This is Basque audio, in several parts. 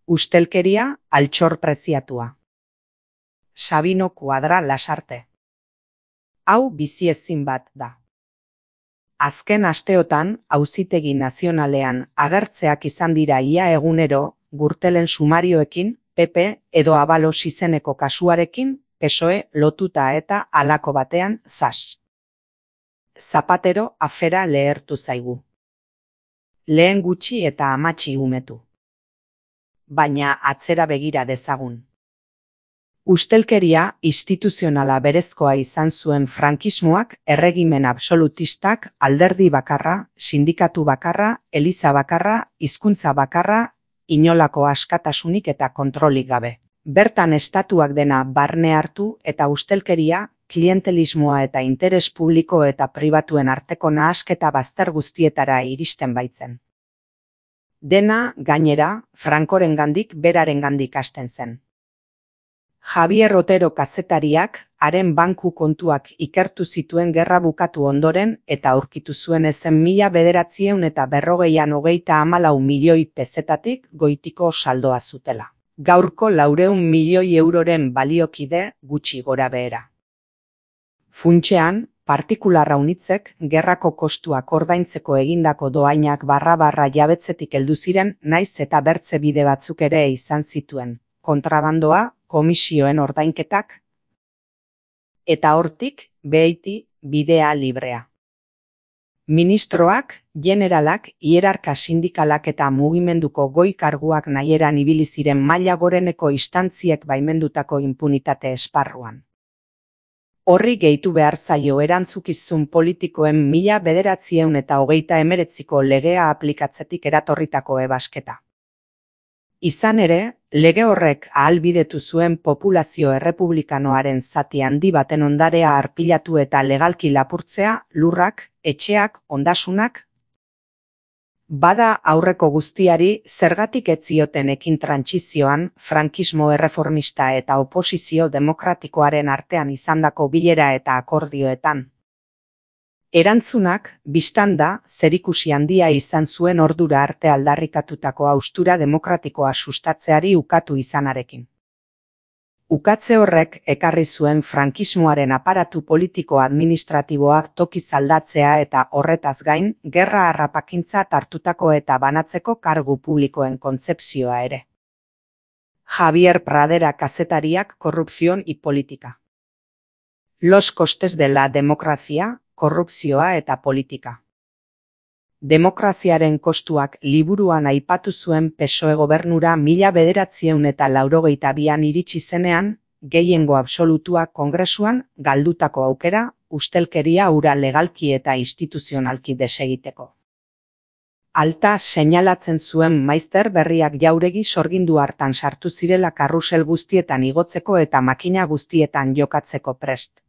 Ustelkeria altxor preziatua. Sabino Kuadra Lasarte. Hau biziezin bat da. Azken asteotan, Auzitegi Nazionalean agertzeak izan dira ia egunero, Gürtelen sumarioekin, PP edo Abalos izeneko kasuarekin, PSOE lotuta eta halako batean zas. Zapatero afera lehertu zaigu. Lehen gutxi eta amatxi umetu. Baina atzera begira dezagun. Ustelkeria instituzionala berezkoa izan zuen frankismoak, erregimen absolutistak, alderdi bakarra, sindikatu bakarra, eliza bakarra, hizkuntza bakarra, inolako askatasunik eta kontrolik gabe. Bertan estatuak dena barne hartu eta ustelkeria, klientelismoa eta interes publiko eta pribatuen arteko nahasketa bazter guztietara iristen baitzen. Dena, gainera, Frankorengandik berarengandik hasten zen. Javier Otero kazetariak haren banku kontuak ikertu zituen gerra bukatu ondoren eta aurkitu zuen ezen 1994 milioi pezetatik goitiko saldoa zutela. Gaurko 400 milioi euroren baliokide gutxi gora behera. Funtsean, partikularra unitzek gerrako kostuak ordaintzeko egindako dohainak barra jabetzetik heldu ziren naiz eta bertze bide batzuk ere izan zituen. Kontrabandoa, komisioen ordainketak, eta hortik beheiti bidea librea. Ministroak, generalak, hierarka sindikalak eta mugimenduko goi karguak nahieran ibili ziren maila goreneko instantziek baimendutako impunitate esparruan. Horri gehitu behar zaio erantzukizun politikoen 1929ko legea aplikatzetik eratorritako ebasketa. Izan ere, lege horrek ahalbidetu zuen populazio errepublikanoaren zati handi baten ondarea arpilatu eta legalki lapurtzea, lurrak, etxeak, ondasunak. Bada aurreko guztiari zergatik ez zioten ekin trantsizioan, frankismo erreformista eta oposizio demokratikoaren artean izandako bilera eta akordioetan. Erantzunak, bistanda, zerikusi handia izan zuen ordura arte aldarrikatutako haustura demokratikoa sustatzeari ukatu izanarekin. Ukatze horrek ekarri zuen frankismoaren aparatu politiko-administratiboak tokiz aldatzea eta horretaz gain, gerra harrapakintza hartutako eta banatzeko kargu publikoen kontzepzioa ere. Javier Pradera kazetariak Corrupción y Política. Los costes de la democracia, korrupzioa eta politika. Demokraziaren kostuak liburuan aipatu zuen PSOE gobernura 1992an iritsi zenean, gehiengo absolutua kongresuan galdutako aukera, ustelkeria hura legalki eta instituzionalki desegiteko. Alta seinalatzen zuen maizter berriak jauregi sorgindu hartan sartu zirela karrusel guztietan igotzeko eta makina guztietan jokatzeko prest.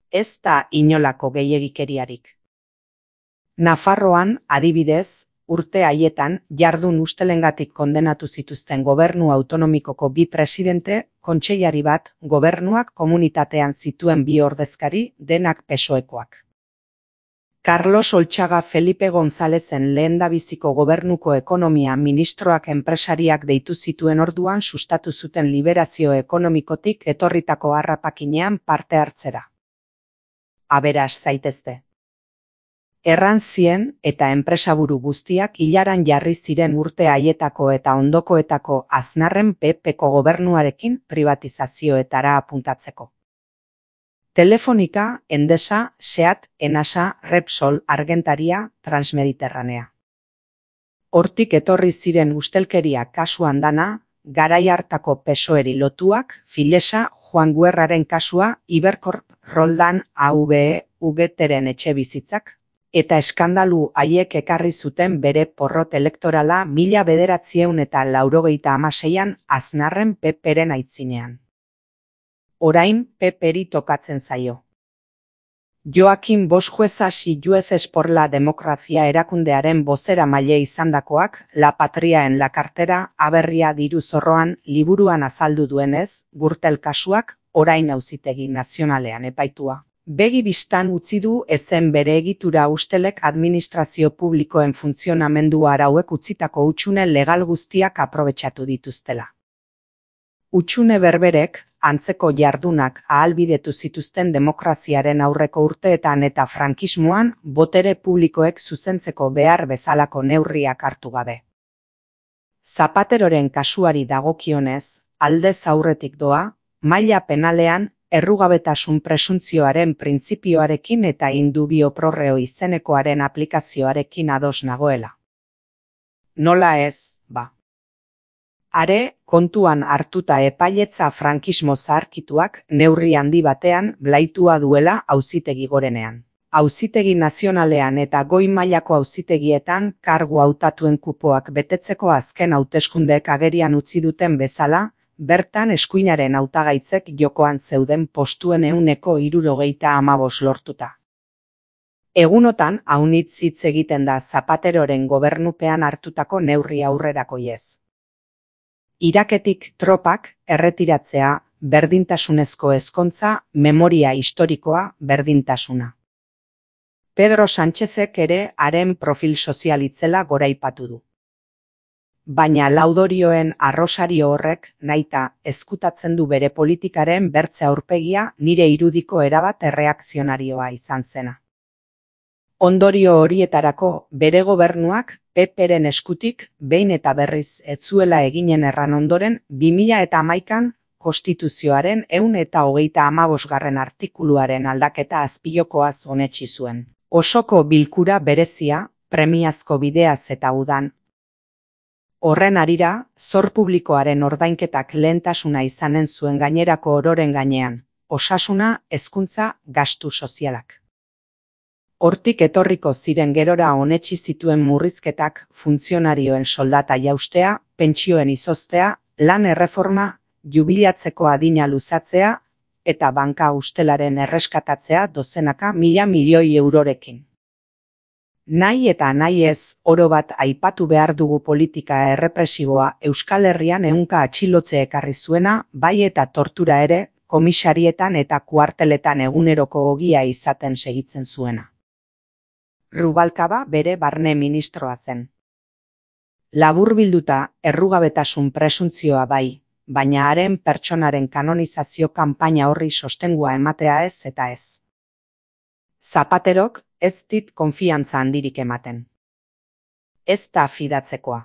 Ez da inolako gehiegikeriarik. Nafarroan, adibidez, urte haietan jardun ustelengatik kondenatu zituzten gobernu autonomikoko 2 presidente, kontseilari bat, gobernuak komunitatean zituen 2 ordezkari, denak PSOEkoak. Carlos Oltxaga Felipe Gonzálezen lehendabiziko gobernuko ekonomia ministroak enpresariak deitu zituen orduan sustatu zuten liberazio ekonomikotik etorritako harrapakinean parte hartzera. Aberas zaitezte. Erran zien eta enpresaburu guztiak ilaran jarri ziren urte haietako eta ondokoetako Aznarren PPko gobernuarekin privatizazioetara apuntatzeko. Telefonika, Endesa, Seat, Enasa, Repsol, Argentaria, Transmediterranea. Hortik etorri ziren ustelkeria kasuan dana, garai hartako PSOEri lotuak, Filesa, Juan Guerraren kasua, Ibercorp, Roldan, AVE, Ugeteren etxe bizitzak, eta eskandalu haiek ekarri zuten bere porrot elektorala 1996an Aznarren PPren aitzinean. Orain PPri tokatzen zaio. Joaquim Bosjuezas y Jueces por la Democracia erakundearen bozeramaile izandakoak, La Patria en la Cartera, aberria diru zorroan liburuan azaldu duenez, Gürtel kasuak orain Auzitegi Nazionalean epaitua. Begi bistan utzi du ezen bere egitura ustelek administrazio publikoen funtzionamendu arauek utzitako hutsune legal guztiak aprobetxatu dituztela. Hutsune berberek, antzeko jardunak ahalbidetu zituzten demokraziaren aurreko urteetan eta frankismoan botere publikoek zuzentzeko behar bezalako neurriak hartu gabe. Zapateroren kasuari dagokionez, aldez aurretik doa, maila penalean, errugabetasun presuntzioaren printzipioarekin eta indubio pro reo izenekoaren aplikazioarekin ados nagoela. Nola ez, ba. Are, kontuan hartuta epailetza frankismo zaharkituak neurri handi batean blaitua duela auzitegi gorenean. Auzitegi nazionalean eta goi mailako auzitegietan kargu hautatuen kupoak betetzeko azken hauteskundeek agerian utzi duten bezala, bertan eskuinaren hautagaitzek jokoan zeuden postuen 75% lortuta. Egunotan haunitz hitz egiten da Zapateroren gobernupean hartutako neurri aurrerakoiez. Iraketik tropak erretiratzea, berdintasunezko ezkontza, memoria historikoa, berdintasuna. Pedro Sánchezek ere haren profil sozial itzela goraipatu du. Baina Laudorioen arrosario horrek nahita ezkutatzen du bere politikaren bertze aurpegia nire irudiko erabat erreakzionarioa izan zena. Ondorio horietarako bere gobernuak PP-ren eskutik behin eta berriz ez zuela eginen erran ondoren 2011an Konstituzioaren 125. artikuluaren aldaketa azpijokoaz onetsi zuen. Osoko bilkura berezia, premiazko bideaz eta udan. Horren harira, zor publikoaren ordainketak lehentasuna izanen zuen gainerako ororen gainean, osasuna, hezkuntza, gastu sozialak. Hortik etorriko ziren gerora onetsi zituen murrizketak, funtzionarioen soldata jaustea, pentsioen izoztea, lan erreforma, jubilatzeko adina luzatzea, eta banka ustelaren erreskatatzea dozenaka mila milioi eurorekin. Nahi eta nahi ez, oro bat aipatu behar dugu politika errepresiboa Euskal Herrian ehunka atxilotze ekarri zuena, bai eta tortura ere, komisarietan eta kuarteletan eguneroko ogia izaten segitzen zuena. Rubalcaba bere barne ministroa zen. Laburbilduta errugabetasun presuntzioa bai, baina haren pertsonaren kanonizazio kanpaina horri sostengua ematea ez eta ez. Zapaterok ez dit konfiantza handirik ematen. Ez da fidatzekoa.